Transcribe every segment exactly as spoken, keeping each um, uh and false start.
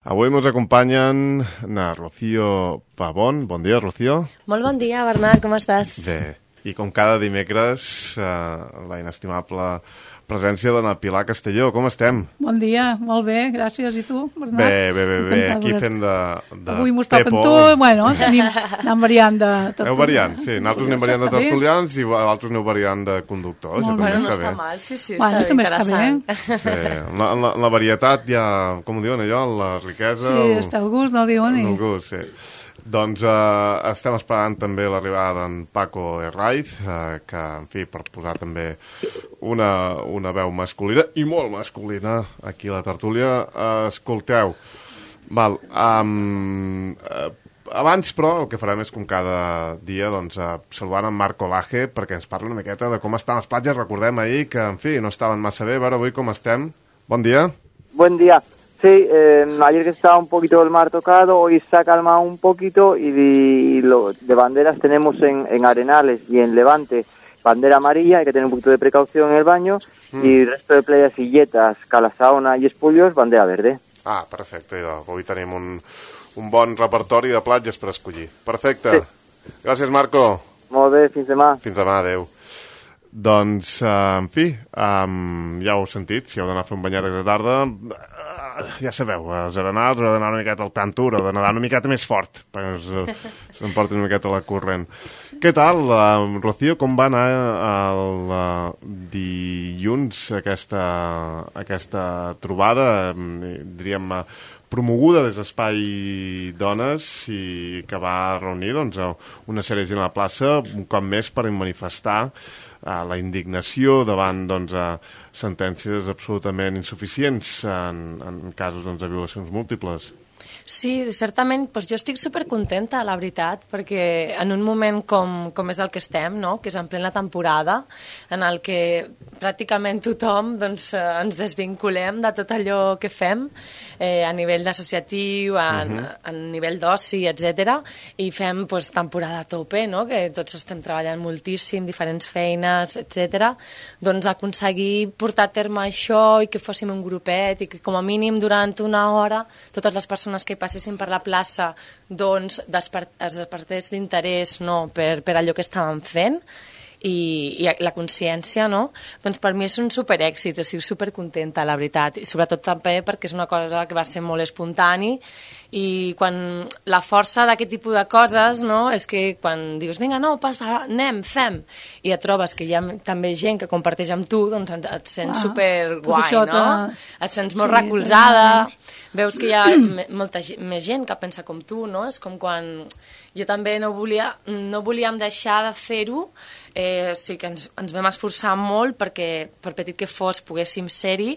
Avui ens acompanyen na Rocío Pavón. Bon dia, Rocío. Molt bon dia, Bernat, com estàs? Bé, i com cada dimecres, eh, la inestimable presència de na Pilar Castelló. Com estem? Bon dia, molt bé, gràcies. I tu, Bernat? Bé, bé, bé, bé. Aquí fent de, de Avui m'ho estava Pepo. fent tu, bueno, tenim, anem variant de tertulians. Aneu variant, sí. Nosaltres anem variant de tertulians i vosaltres aneu variant de conductors. Molt Això bé. també Bueno, no està bé. està mal, sí, sí, Bueno, està també bé, està interessant. Sí, en la, en la, en la varietat hi ha, com ho diuen allò, la riquesa... Sí, el- està el gust, no diuen. El I... gust, sí. Doncs eh, estem esperant també l'arribada d'en Paco Herraiz, eh, que, en fi, per posar també una, una veu masculina, i molt masculina, aquí a la tertúlia. Eh, escolteu, val, um, eh, abans, però, el que farem és, com cada dia, doncs, eh, saludant en Marc Olaje, perquè ens parli una miqueta de com estan les platges. Recordem ahir que, en fi, no estaven massa bé. A veure avui com estem. Bon dia. Buen día. Sí, eh, ayer que estaba un poquito el mar tocado, hoy se ha calmado un poquito y de, y lo, de banderas tenemos en, en Arenales y en Levante bandera amarilla, hay que tener un poquito de precaución en el baño, mm. y el resto de playas Illetas, Calasaona y Espullos, bandera verde. Ah, perfecte. Idò. Avui tenim un, un bon repertori de platges per escollir. Perfecte. Sí. Gràcies, Marco. Molt bé, fins demà. Fins demà, adeu. Doncs, uh, en fi, um, ja ho heu sentit, si heu d'anar a fer un banyat de tarda, uh, ja sabeu, els arenals heu d'anar una miqueta al tanto, heu de nedar una miqueta més fort, perquè uh, s'emporti una miqueta la corrent. Què tal, uh, Rocío, com va anar el uh, dilluns aquesta, aquesta trobada, um, diríem, uh, promoguda des d'Espai Dones i que va reunir doncs, una sèrie de gent a la plaça un cop més per manifestar uh, la indignació davant doncs, uh, sentències absolutament insuficients en, en casos doncs, de violacions múltiples. Sí, certament, doncs jo estic supercontenta, la veritat, perquè en un moment com, com és el que estem, no? Que és en plena temporada, en el que pràcticament tothom doncs, ens desvinculem de tot allò que fem eh, a nivell associatiu, a, uh-huh. a nivell d'oci, etcètera, i fem doncs, temporada a tope, no? Que tots estem treballant moltíssim, diferents feines, etcètera. Doncs aconseguir portar a terme això i que fóssim un grupet i que com a mínim durant una hora totes les persones que passessin per la plaça doncs despert, es despertés d'interès, no, per, per allò que estàvem fent i, i la consciència, no? Doncs per mi és un superèxit, estic supercontenta, la veritat, i sobretot també perquè és una cosa que va ser molt espontani i quan la força d'aquest tipus de coses, no, és que quan dius, vinga, no, pas, va, anem, fem, i et trobes que hi ha també gent que comparteix amb tu, doncs et sents ah, superguai, no? Et sents molt sí, recolzada, veus que hi ha molta més gent que pensa com tu, no? És com quan jo també no volia, no volíem deixar de fer-ho, eh, sí que ens, ens vam esforçar molt perquè, per petit que fos, poguéssim ser-hi,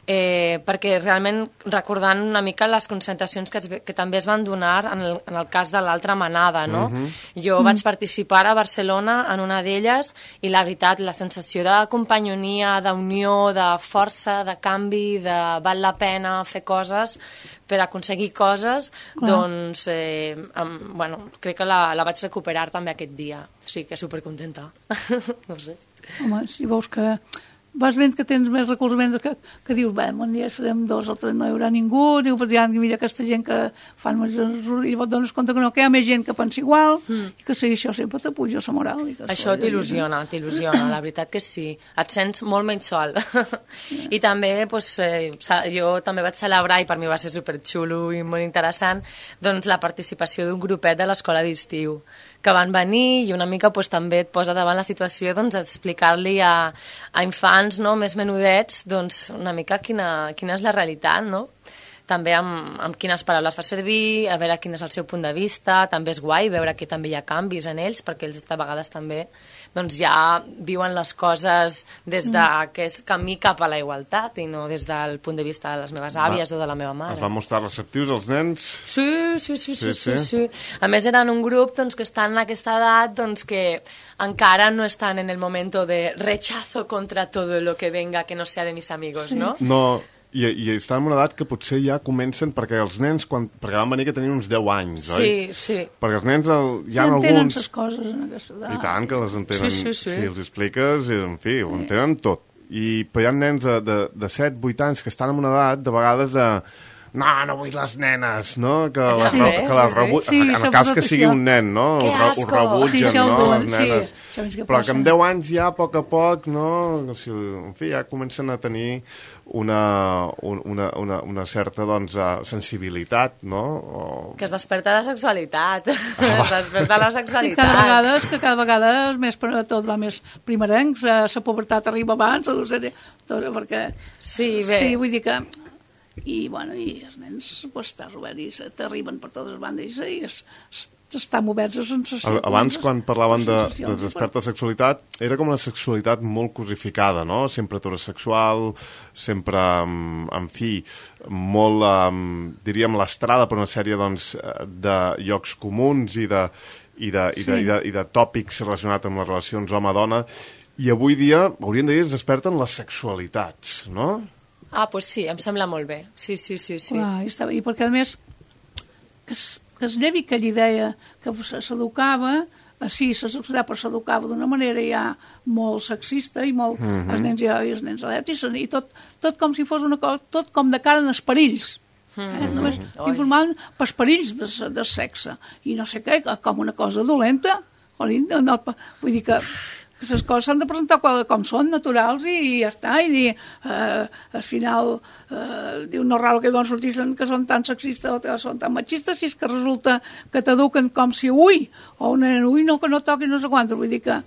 eh, perquè realment recordant una mica les concentracions que, es, que també es van donar en el, en el cas de l'altra manada, no? Uh-huh. Jo uh-huh. vaig participar a Barcelona en una d'elles i la veritat, la sensació de companyonia, d'unió, de força, de canvi, de val la pena fer coses per aconseguir coses, clar. Doncs eh, amb, bueno, crec que la, la vaig recuperar també aquest dia. Sí, que supercontenta. No sé. Home, si veus que vas veient que tens més recolzaments que, que dius, bé, un dia serem dos o tres, no hi haurà ningú, diu, però ja mira aquesta gent que fan més i et dones compte que no, que hi ha més gent que pensa igual, mm. i que sí, això sempre t'apuja la moral. I això t'il·lusiona, t'il·lusiona, la veritat que sí. Et sents molt menys sol. Yeah. I també, doncs, eh, jo també vaig celebrar, i per mi va ser superxulo i molt interessant, doncs la participació d'un grupet de l'escola d'estiu, que van venir i una mica doncs, també et posa davant la situació doncs, d'explicar-li a, a infants, no, més menudets doncs, una mica quina, quina és la realitat, no? També amb, amb quines paraules fa servir, a veure quin és el seu punt de vista, també és guai veure que també hi ha canvis en ells, perquè ells de vegades també doncs, ja viuen les coses des d'aquest camí cap a la igualtat i no des del punt de vista de les meves àvies va, o de la meva mare. Es van mostrar receptius els nens? Sí, sí, sí, sí, sí, sí, sí. A més eren un grup doncs, que estan en aquesta edat doncs, que encara no estan en el moment de rechazo contra todo lo que venga que no sea de mis amigos, no? No. I, i estan en una edat que potser ja comencen, perquè els nens, quan, perquè van venir que tenien uns deu anys, oi? Sí, sí. Perquè els nens, el, hi ha ja alguns... entenen les coses en aquesta edat. I tant, que les entenen. Sí, sí, sí. Si els expliques, en fi, ho entenen tot. I, però hi ha nens de, de, de set vuit anys que estan en una edat, de vegades, de, no, no vull les nenes, no? Que les, Sí, re- que les sí, rebu... sí. en, en Sí, el cas que s'ha sigui posat un nen, no? Que Ho, re- ho asco. rebutgen, Sí, això ho no? diuen, Les sí, nenes. això és que Però passa. que amb deu anys ja, a poc a poc, no? Si, en fi, ja comencen a tenir una, un- una, una, una certa, doncs, eh, sensibilitat, no? O... Que es desperta la sexualitat. Es desperta la I sexualitat. cada vegada, és que cada vegada és més, per- tot va més primerencs, eh, la pubertat arriba abans, no sé, tot, perquè... Sí, bé. Sí, vull dir que... I, bueno, i els nens, pues, estàs obert i se- t'arriben per totes bandes i es, es, estan oberts a sensacions. Abans, quan parlaven de, de sensacions, desperta sexualitat, era com una sexualitat molt cosificada, no? Sempre heterosexual, sempre, um, en fi, molt, um, diríem, lastrada per una sèrie, doncs, de llocs comuns i de, i de, i de, Sí. i de, i de tòpics relacionats amb les relacions home-dona, i avui dia, hauríem de dir, es desperten les sexualitats, no? Ah, doncs pues sí, em sembla molt bé. Sí, sí, sí, sí. Clar, i, estava, i perquè a més que es, que es llevi aquella idea que se- s'educava així, se sexualitat, però s'educava d'una manera ja molt sexista i molt, mm -hmm. els nens ja, i els nens adeptis, i tot, tot com si fos una cosa, tot com de cara als perills. Eh? Mm -hmm. Només t'informaven pels perills de, de sexe i no sé què, com una cosa dolenta. Jolín, no, no, vull dir que que les coses s'han de presentar com, com són, naturals, i, i ja està, i dir, eh, al final, eh, diu, no és raro que van sortir que són tan sexistes o que són tan machistes, si és que resulta que t'eduquen com si ui, o un nen, ui, no, que no toqui no sé quantos, vull dir que,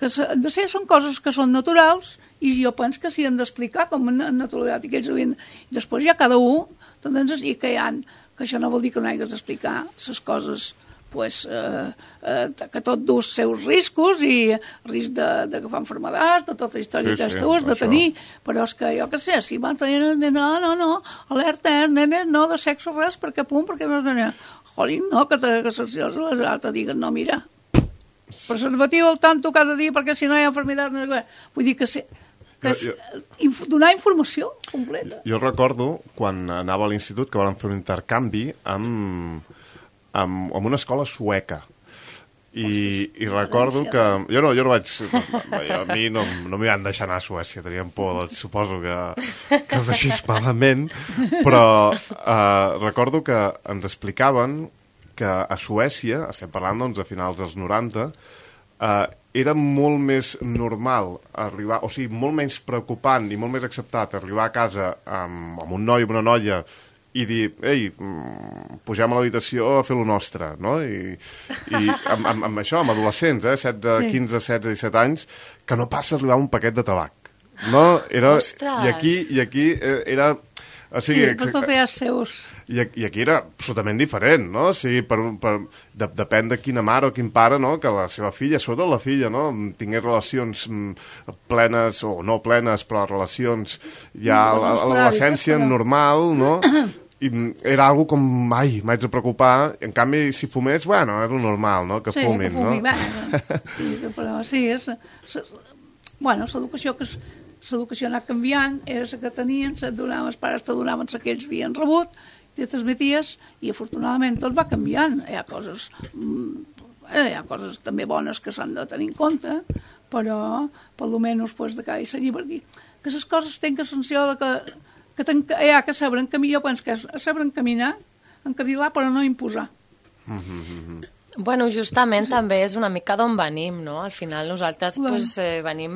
que han de ser, són coses que són naturals, i jo penso que s'hi han d'explicar com a naturalitat, i que ells havien, i després ja cada un, doncs, i que hi ha, que això no vol dir que no hagués d'explicar les coses, pues, eh, eh, que tot du els seus riscos i risc d'agafar malalties, de tota la història Sí, que sí, tu has de això. tenir, però és que jo què sé, si van tenir, no, no, no, alerta, eh, nenes, no de sexe res, perquè punt, perquè no sé, jolín, no, que, te, que les te diguen, no, mira, preservatiu al tanto cada dia, perquè si no hi ha enfermedad, no sé què. Vull dir que sí, que és, Jo- inf donar informació completa. Jo recordo, quan anava a l'institut, que vam fer un intercanvi amb, amb, amb una escola sueca. I, i recordo que... Jo no, jo no vaig... Jo, a mi no, no m'hi van deixar anar a Suècia, tenien por, doncs suposo que, que els deixés malament, però eh, recordo que ens explicaven que a Suècia, estem parlant doncs, a finals dels noranta, eh, era molt més normal arribar, o sigui, molt menys preocupant i molt més acceptat arribar a casa amb, amb un noi o una noia i dir, ei, mm, pugem a l'habitació a fer lo nostre, no? I, i amb, amb, amb això, amb adolescents, eh, setze, Sí. quinze, setze, disset anys, que no passa a arribar a un paquet de tabac. No? Era, Ostres! I aquí, i aquí eh, era... O Sí, sigui, però tot hi ha els seus... i, aquí- I aquí era absolutament diferent, no? O sigui, per, per, de, depèn de quina mare o quin pare, no?, que la seva filla, sobretot la filla, no?, tingués relacions mm, plenes o no plenes, però relacions ja a, a, a l'adolescència Però- normal, no? I mm, era algo com, ai, m'haig de preocupar. En canvi, si fumés, bueno, era lo normal, no?, que sí, fumin, que fumi, no? Bueno, sí, però sí, és... és bueno, l'educació que és... L'educació ha anat canviant, era la que tenien, se't donaven, els pares te donaven la que ells havien rebut, te transmeties, i afortunadament tot va canviant. Hi ha coses, mm, hi ha coses també bones que s'han de tenir en compte, però, per lo menys, pues, de cada i perquè que les coses tenen que sanció de que, que ten, hi ha que saber encaminar, jo penso que és saber encaminar, encarrilar, però no imposar. Bueno, justament també és una mica d'on venim, no? Al final nosaltres pues, eh, venim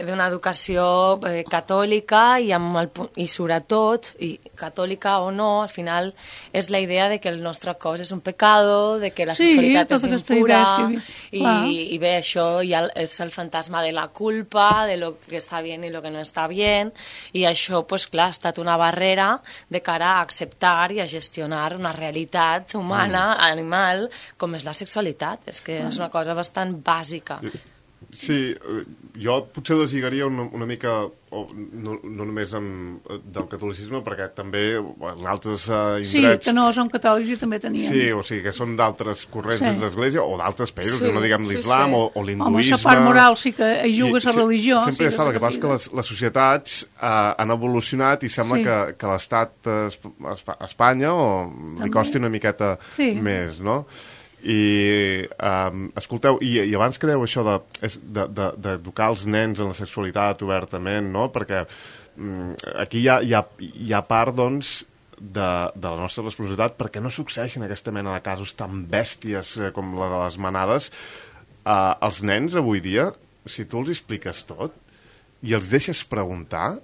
d'una educació eh, catòlica i, amb el, pu- i sobretot, i catòlica o no, al final és la idea de que el nostre cos és un pecado, de que la Sí, sexualitat tota és aquesta impura, idea és que- i, clar. i bé, això ja és el fantasma de la culpa, de lo que està bé i lo que no està bé, i això, pues, clar, ha estat una barrera de cara a acceptar i a gestionar una realitat humana, mm. animal, com és la sexualitat. És que és una cosa bastant bàsica. Sí, eh, jo potser deslligaria una, una mica, o no, no només en, del catolicisme, perquè també en altres uh, Sí, indrets... que no són catòlics i també tenien. Sí, o sigui, que són d'altres corrents Sí. dins l'Església o d'altres països, Sí, que no diguem sí, l'islam sí. o, o Home, l'hinduisme... la part moral sí que hi juga I la religió. Sempre sí ja està, el que sí, passa és que les, les societats uh, han evolucionat i sembla Sí. que, que l'estat uh, a Espanya o li També. costi una miqueta Sí. més, no? I, um, escolteu, i, i abans que deu això de, és de, de, d'educar els nens en la sexualitat obertament, no? Perquè um, aquí hi ha, hi, ha, hi ha part, doncs, de, de la nostra responsabilitat perquè no succeeixin aquesta mena de casos tan bèsties eh, com la de les manades. Eh, els nens avui dia, si tu els expliques tot i els deixes preguntar,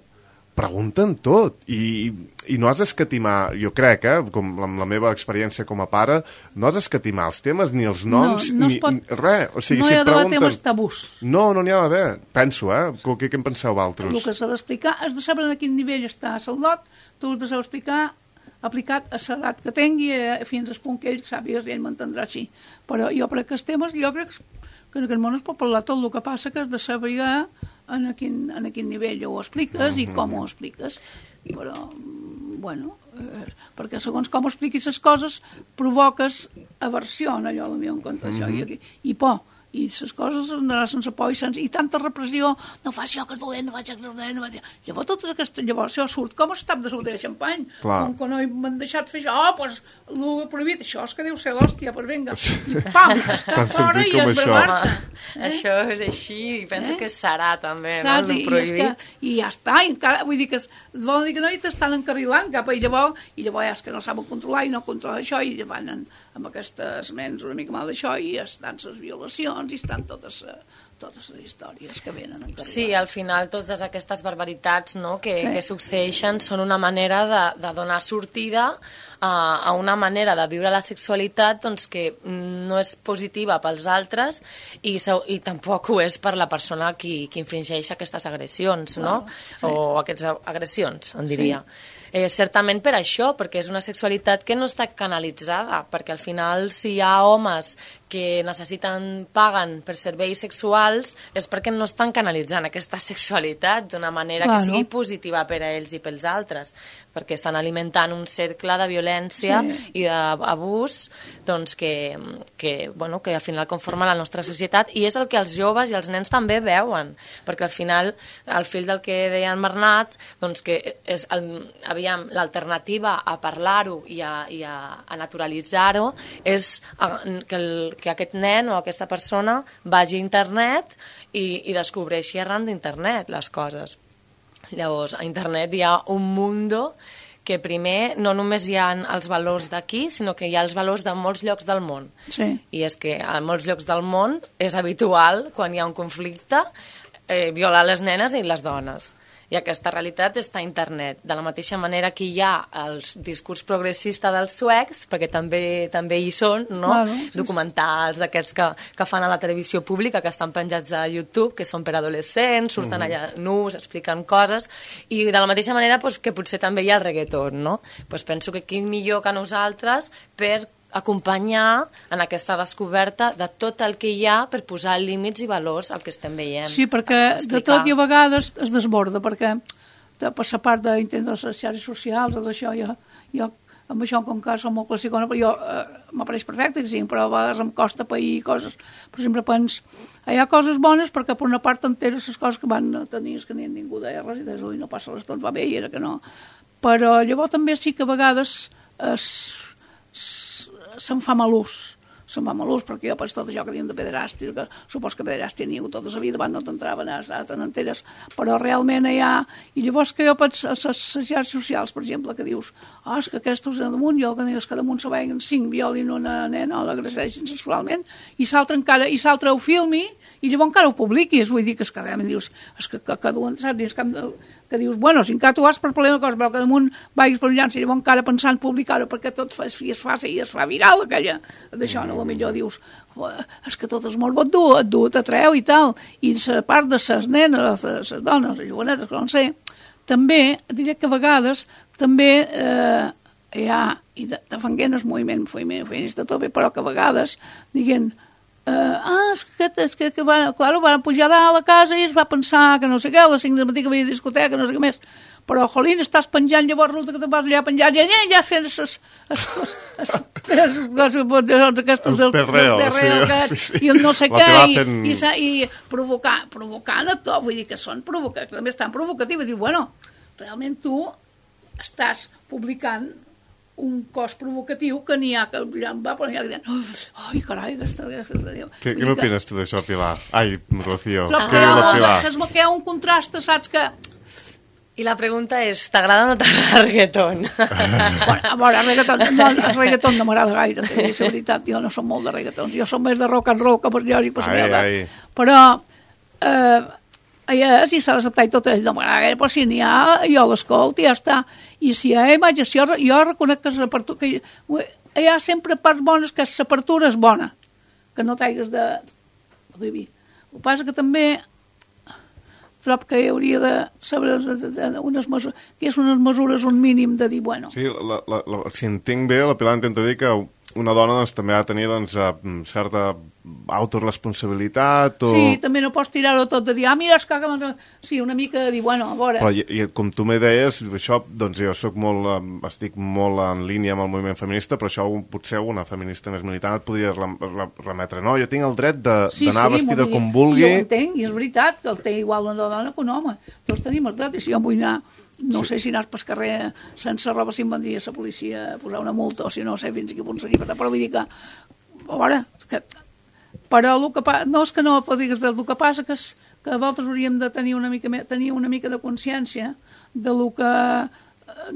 pregunten tot i, i no has d'escatimar, jo crec, eh, com amb la meva experiència com a pare, no has d'escatimar els temes ni els noms, no, no ni, pot, ni res. O sigui, no si hi ha d'haver pregunten... temes tabús. No, no n'hi ha d'haver. Penso, eh? Què, què en penseu vosaltres? El que s'ha d'explicar, has de saber en quin nivell està el lot, tu has de saber explicar aplicat a l'edat que tingui, eh, fins al punt que ell sàpigues i ell m'entendrà així. Però jo crec que els temes, jo crec que en aquest món es pot parlar tot, el que passa que has de saber en quin, en quin nivell ho expliques mm-hmm. i com ho expliques. Però, bueno, eh, perquè segons com expliquis les coses provoques aversió en allò, potser en compte d'això, mm-hmm. i, i por. I les coses anarà sense por i, sense, i tanta repressió, no fa això que és dolent, no faig això que és dolent, no faig... Llavors, totes aquestes, llavors això surt com es tap de botella de xampany, Clar. com que no m'han deixat fer això, oh, doncs, el prohibit, això és que deu ser l'hòstia, doncs vinga, i pam, està fora i es brevar-se. Eh? Això és així, i penso eh? que serà també, saps? No, el prohibit. I, I ja està, i encara, vull dir que volen dir que no, i t'estan encarrilant cap a i llavors, i llavors és que no saben controlar i no controlen això, i van en, amb aquestes ments una mica mal d'això, i estan les violacions, i estan totes, totes les històries que venen encarrilant. Sí, al final totes aquestes barbaritats, no, que, sí. que succeeixen són una manera de, de donar sortida a, a una manera de viure la sexualitat doncs, que no és positiva pels altres i, i tampoc ho és per la persona qui, qui infringeix aquestes agressions, no? Oh, sí. O aquestes agressions, en diria. Sí. Eh, certament per això, perquè és una sexualitat que no està canalitzada, perquè al final si hi ha homes que necessiten, paguen per serveis sexuals, és perquè no estan canalitzant aquesta sexualitat d'una manera claro. que sigui positiva per a ells i pels altres, perquè estan alimentant un cercle de violència sí. i d'abús doncs, que, que, bueno, que al final conforma la nostra societat, i és el que els joves i els nens també veuen, perquè al final, al fil del que deia en Bernat, doncs que és el, aviam, l'alternativa a parlar-ho i a, i a, a naturalitzar-ho és a, que, el, que aquest nen o aquesta persona vagi a internet i, i descobreixi arran d'internet les coses. Llavors, a internet hi ha un mundo que primer no només hi ha els valors d'aquí, sinó que hi ha els valors de molts llocs del món. Sí. I és que a molts llocs del món és habitual, quan hi ha un conflicte, eh, violar les nenes i les dones. I aquesta realitat està a internet. De la mateixa manera que hi ha el discurs progressista dels suecs, perquè també també hi són, no? Claro, sí. Documentals d'aquests que, que fan a la televisió pública, que estan penjats a YouTube, que són per adolescents, surten allà nus, expliquen coses, i de la mateixa manera pues, que potser també hi ha el reggaeton, no? Pues penso que qui millor que nosaltres per acompanyar en aquesta descoberta de tot el que hi ha per posar límits i valors al que estem veient. Sí, perquè de tot i a vegades es desborda, perquè de, per la part d'intent de les xarxes socials o d'això, jo, jo amb això com que som molt classicona, però jo eh, m'apareix perfecte, sí, però a vegades em costa pair coses. Per exemple, pens, hi ha coses bones perquè per una part enteres les coses que van tenir és que ni ningú deia res i des ui, no passa l'estona, va bé, i era que no. Però llavors també sí que a vegades es, es se'n fa mal ús, se'n fa mal ús, perquè jo pas tot això que diuen de pederàstia, que supos que pederàstia n'hi ha hagut tota la vida, van no t'entraven a tan enteres, però realment hi ha... I llavors que jo penso a les xarxes socials, per exemple, que dius, oh, és que aquests damunt, jo el que dius és que damunt se vegin cinc violin una nena o l'agreseixen sexualment, i l'altre encara, i l'altre ho filmi, i llavors encara ho publiquis, vull dir que és que realment dius, és que, que, que duen, saps, que, que dius, bueno, si encara tu vas per problema de coses, però que damunt vagis per llança, i llavors encara pensant publicar-ho perquè tot fa, es, es fa i es fa viral aquella, d'això, no, potser dius, és que tot és molt bon dur, et du, t'atreu i tal, i la part de les nenes, les dones, les jovenetes, que no sé, també, diré que a vegades, també eh, hi ha, i de, de fanguent el moviment, moviment feminista tot bé, però que a vegades, diguem, Uh, ah, és que, és que, que van, claro, van pujar a la casa i es va pensar que no sé què, a les cinc del matí que havia discoteca, no sé què més, però, jolín, estàs penjant, llavors resulta que te vas allà penjant, i allà ja fent el perreo, sí, sí, i el no sé què, fent... i, i, i provocar, provocant a tot, vull dir que són provocatius, també estan provocatius, diu, bueno, realment tu estàs publicant un cos provocatiu que n'hi ha que va per allà que diuen, ai, carai, aquesta... aquesta què què n'opines tu d'això, Pilar? Ai, Rocío, però què diu la Pilar? Que hi ha un contrast, saps, que I la pregunta és, t'agrada o no t'agrada el reggaeton? Bueno, a veure, el reggaeton, no, el reggaeton no m'agrada gaire, t'he dit la veritat, jo no som molt de reggaetons, jo som més de rock and roll que per lògic, per Ai, ai. però eh, allà si s'ha d'acceptar i tot ell no m'agrada gaire, però si n'hi ha, jo l'escolto i ja està, i si hi ha imatges, jo, jo reconec que l'apertura, que hi ha sempre parts bones, que l'apertura és bona, que no t'hagues de, de vivir. El que passa que també trob que hi hauria de saber unes mesures, que és unes mesures, un mínim de dir, bueno... Sí, la, la, la, si entenc bé, la Pilar intenta dir que una dona doncs, també ha de tenir doncs, certa autoresponsabilitat o... Sí, també no pots tirar-ho tot de dir, ah, mira, es caga... Sí, una mica de dir, bueno, a veure... Però i, i com tu me deies, això, doncs jo soc molt, estic molt en línia amb el moviment feminista, però això potser una feminista més militant et podria remetre. No, jo tinc el dret d'anar sí, sí, vestida dir, com vulgui... Jo ho entenc, i és veritat, que el té igual una dona que un home. Tots tenim el dret, i si jo vull anar... No sí. sé si anàs pel carrer sense roba, si em vendria la policia a posar una multa, o si no sé fins a quin punt seria, però vull dir que... A veure, que, però el que pa, no és que no digues el que passa, que, és, que vosaltres hauríem de tenir una mica, tenir una mica de consciència de lo que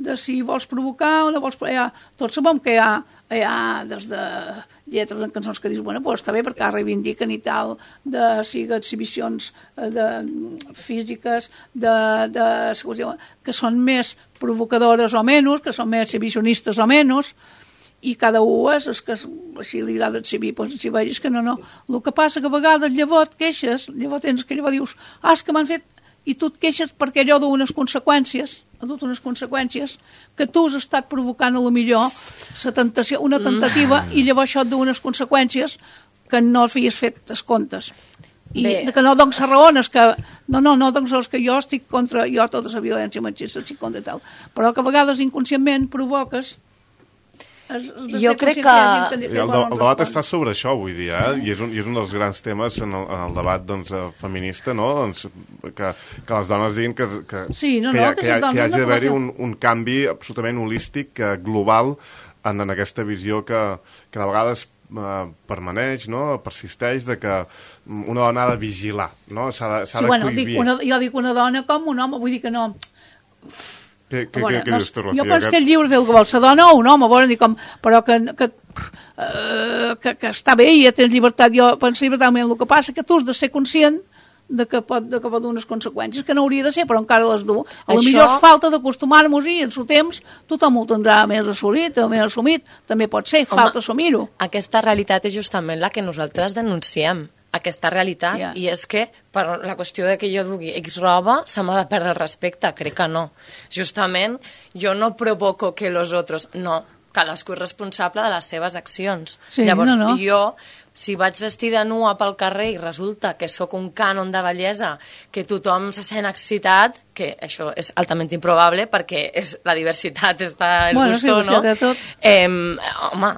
de si vols provocar o no vols... Ja, tots sabem que hi ha, hi ha des de lletres en cançons que dius, bueno, pues està bé perquè reivindiquen i tal, de sigui exhibicions de físiques, de, de, que són més provocadores o menys, que són més exhibicionistes o menys, i cada un és, és que així li agrada exhibir, doncs si vegis que no, no. El que passa que a vegades llavors et queixes, llavors tens que llavors dius, ah, és que m'han fet... I tu et queixes perquè allò du unes conseqüències, ha dut unes conseqüències que tu has estat provocant a lo millor la tentació, una tentativa, mm. i llavors això et du unes conseqüències que no havies fet els comptes. I Bé. que no dones raones, que no, no, no dones que jo estic contra, jo tota la violència machista estic contra i tal, però que a vegades inconscientment provoques. Es, es jo crec que... que el, el debat està sobre això avui dia, eh? I, és un, i és un dels grans temes en el, en el debat doncs, feminista, no? Doncs, que, que les dones diguin que, que, sí, no, que, no, hi, que, ha, que, hi, que hi hagi d'haver-hi no un, un canvi absolutament holístic, global, en, en aquesta visió que, que de vegades eh, permaneix, no? Persisteix, de que una dona ha de vigilar, no? S'ha de, s'ha sí, de bueno, cohibir. Dic una, jo dic una dona com un home, vull dir que no... Què, què, bueno, què, què no, dius tu, Rocío? jo penso que el lliure fer el que vol la dona o un home, bueno, dic com, però que, que, uh, que, que està bé i ja tens llibertat. Jo penso llibertat, el que passa que tu has de ser conscient de que pot, de que pot dur unes conseqüències, que no hauria de ser, però encara les du. A lo Això... millor és falta d'acostumar-nos i en el temps tothom ho tindrà més assolit, més assumit, també pot ser, Home, falta assumir-ho. Aquesta realitat és justament la que nosaltres denunciem, aquesta realitat, yeah. i és que per la qüestió de que jo dugui X roba se m'ha de perdre el respecte, crec que no. Justament, jo no provoco que los otros... No, cadascú és responsable de les seves accions. Sí, Llavors, no, no. jo, si vaig vestida nua pel carrer i resulta que sóc un cànon de bellesa, que tothom se sent excitat, que això és altament improbable perquè és, la diversitat està el bueno, gusto, sí, no? Tot. Eh, home,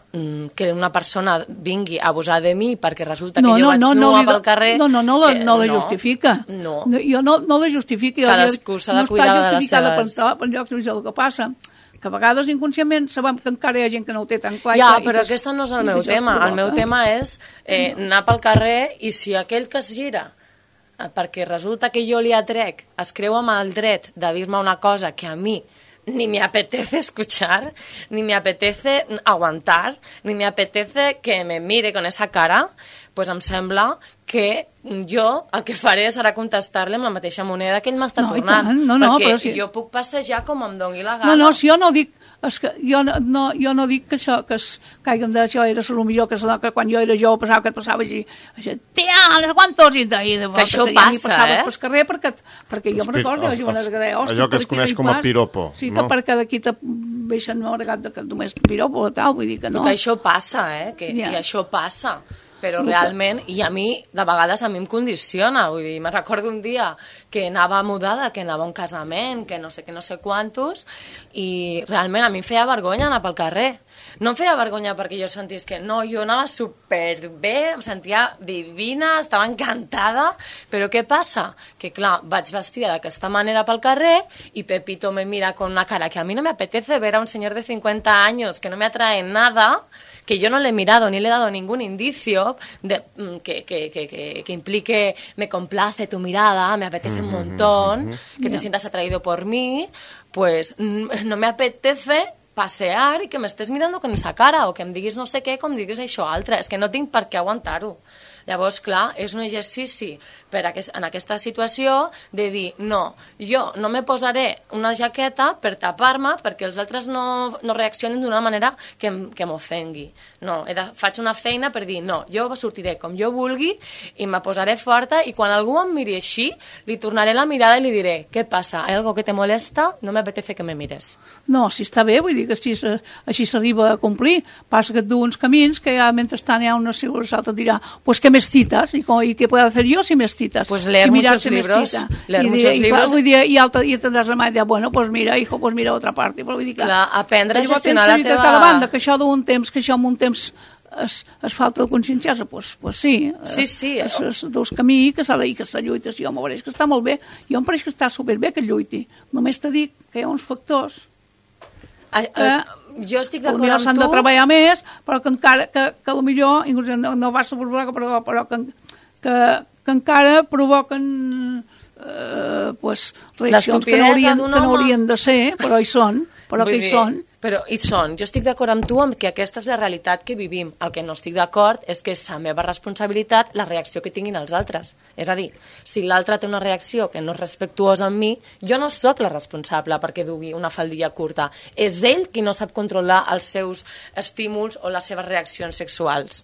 que una persona vingui a abusar de mi perquè resulta no, que jo no, vaig no, nua no, pel carrer... No, no, no, la, que, no la no, justifica. No. Jo no, no la justifico. Cadascú s'ha de cuidar de les seves... No està justificada per llocs de el que passa, que a vegades inconscientment sabem que encara hi ha gent que no ho té tan clar. Ja, i però que, aquest no és el meu tema. El meu tema és eh, no. anar pel carrer i si aquell que es gira eh, perquè resulta que jo li atrec, es creu amb el dret de dir-me una cosa que a mi ni me apetece escuchar, ni me apetece aguantar, ni me apetece que me mire con esa cara, pues em sembla que jo el que faré serà contestar-li amb la mateixa moneda que ell m'està no, tornant. No, no, perquè però si... jo puc passejar com em doni la gana. No, no, si jo no dic... És que jo, no, jo no dic que això, que, es, que haguem d'això era el millor, que, que quan jo era jove passava que et passava així, així, tia, no sé quantos, i de, i de que això que passa, ja eh? Pel carrer, perquè, perquè jo me'n recordo, jo una que deia, allò que es coneix com a piropo, sí, no? Que perquè d'aquí te veixen una vegada que només piropo o tal, vull dir que no. Que això passa, eh? Que, yeah. que això passa. Però realment, i a mi, de vegades a mi em condiciona, vull dir, me recordo un dia que anava mudada, que anava a un casament, que no sé que no sé quantos, i realment a mi em feia vergonya anar pel carrer. No em feia vergonya perquè jo sentís que no, jo anava superbé, em sentia divina, estava encantada, però què passa? Que clar, vaig vestida d'aquesta manera pel carrer i Pepito me mira con una cara que a mi no me apetece ver a un señor de cincuenta años que no me atrae nada, que yo no le he mirado ni le he dado ningún indicio de, que, que, que, que, que implique me complace tu mirada, me apetece un montón, que te sientas atraído por mí, pues no me apetece passear i que m'estés mirant con esa cara o que em diguis no sé què, com diguis això altre. És que no tinc per què aguantar-ho. Llavors, clar, és un exercici per aquest, en aquesta situació de dir, no, jo no me posaré una jaqueta per tapar-me perquè els altres no, no reaccionin d'una manera que, que m'ofengui. No, he de, faig una feina per dir, no, jo sortiré com jo vulgui i me posaré forta i quan algú em miri així, li tornaré la mirada i li diré, què passa? Hi ha algo que te molesta? No m'apetece que me mires. No, si està bé, vull dir que així, així s'arriba a complir. Passa que et du uns camins que ja mentrestant hi ha una seguretat et dirà, pues que més citas, i, i què puedo hacer yo si més citas? Pues leer si muchos libros, leer I muchos diré, libros. I, i, i, alta, i tindràs remei de, bueno, pues mira, hijo, pues mira otra parte. Vull dir que, clar, aprendre a gestionar la teva... Cada banda, que això d'un temps, que això en un temps es, es falta de conscienciar-se, pues, pues sí. Sí, sí. És, és dos camí que s'ha de dir que se lluita, si jo m'ho veuré, que està molt bé. Jo em pareix que està superbé que lluiti. Només te dic que hi ha uns factors a, a, que jo estic d'acord amb tu. S'han de treballar més, però que encara, que, que potser, inclús no, no va ser però, però que, que, que encara provoquen eh, pues, reaccions que no, haurien, que no haurien de ser, però hi són, però Vull que hi dir, són. Però hi són. Jo estic d'acord amb tu amb que aquesta és la realitat que vivim. El que no estic d'acord és que és la meva responsabilitat la reacció que tinguin els altres. És a dir, si l'altre té una reacció que no és respectuosa amb mi, jo no sóc la responsable perquè dugui una faldilla curta. És ell qui no sap controlar els seus estímuls o les seves reaccions sexuals.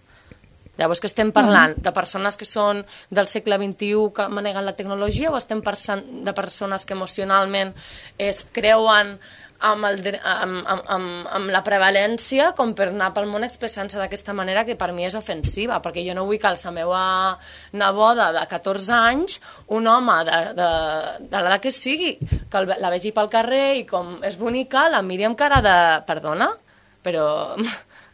Llavors, que estem parlant de persones que són del segle vint-i-u que maneguen la tecnologia o estem parlant de persones que emocionalment es creuen amb, el, amb, amb, amb, amb la prevalència com per anar pel món expressant-se d'aquesta manera que per mi és ofensiva, perquè jo no vull que la meva neboda de catorze anys, un home de, de, de l'edat que sigui, que el, la vegi pel carrer i com és bonica, la miri amb cara de... Perdona? Però...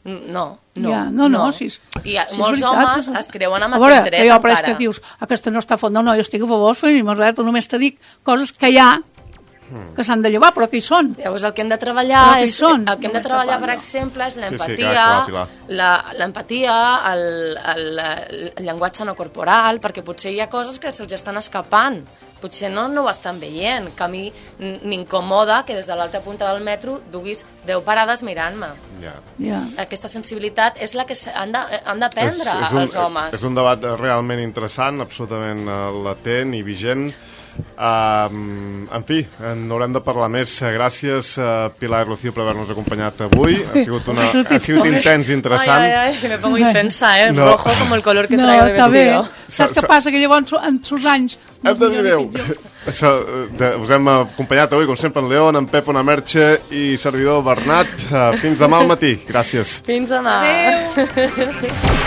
No, no, ja, no, no, no. Si és, I si molts veritat, homes és... es creuen amb a veure, aquest dret jo, encara. Però és que dius, aquesta no està font. No, no, jo estic a favor, ni més res, només te dic coses que hi ha, que s'han de llevar, però que hi són. Llavors el que hem de treballar, és, el que hem de treballar per exemple, és l'empatia, sí, sí, l'empatia, el, el, el llenguatge no corporal, perquè potser hi ha coses que se'ls estan escapant. Potser no, no ho estan veient, que a mi m'incomoda que des de l'altra punta del metro duguis deu parades mirant-me. Yeah. Yeah. Aquesta sensibilitat és la que han d'aprendre els homes. És un debat realment interessant, absolutament latent i vigent. Uh, en fi, n'haurem de parlar més. Gràcies, uh, Pilar i Rocío, per haver-nos acompanyat avui. Ha sigut, una, ha sigut intens i interessant. Ai, ai, ai, que me pongo intensa, eh? No. Rojo com el color que no, traigo de vestido. Saps què passa? Que llavors, en sus anys... Hem de dir adéu. Us hem acompanyat avui, com sempre, en León, en Pep, una Merche i servidor Bernat. Uh, fins demà al matí. Gràcies. Fins demà. Adéu.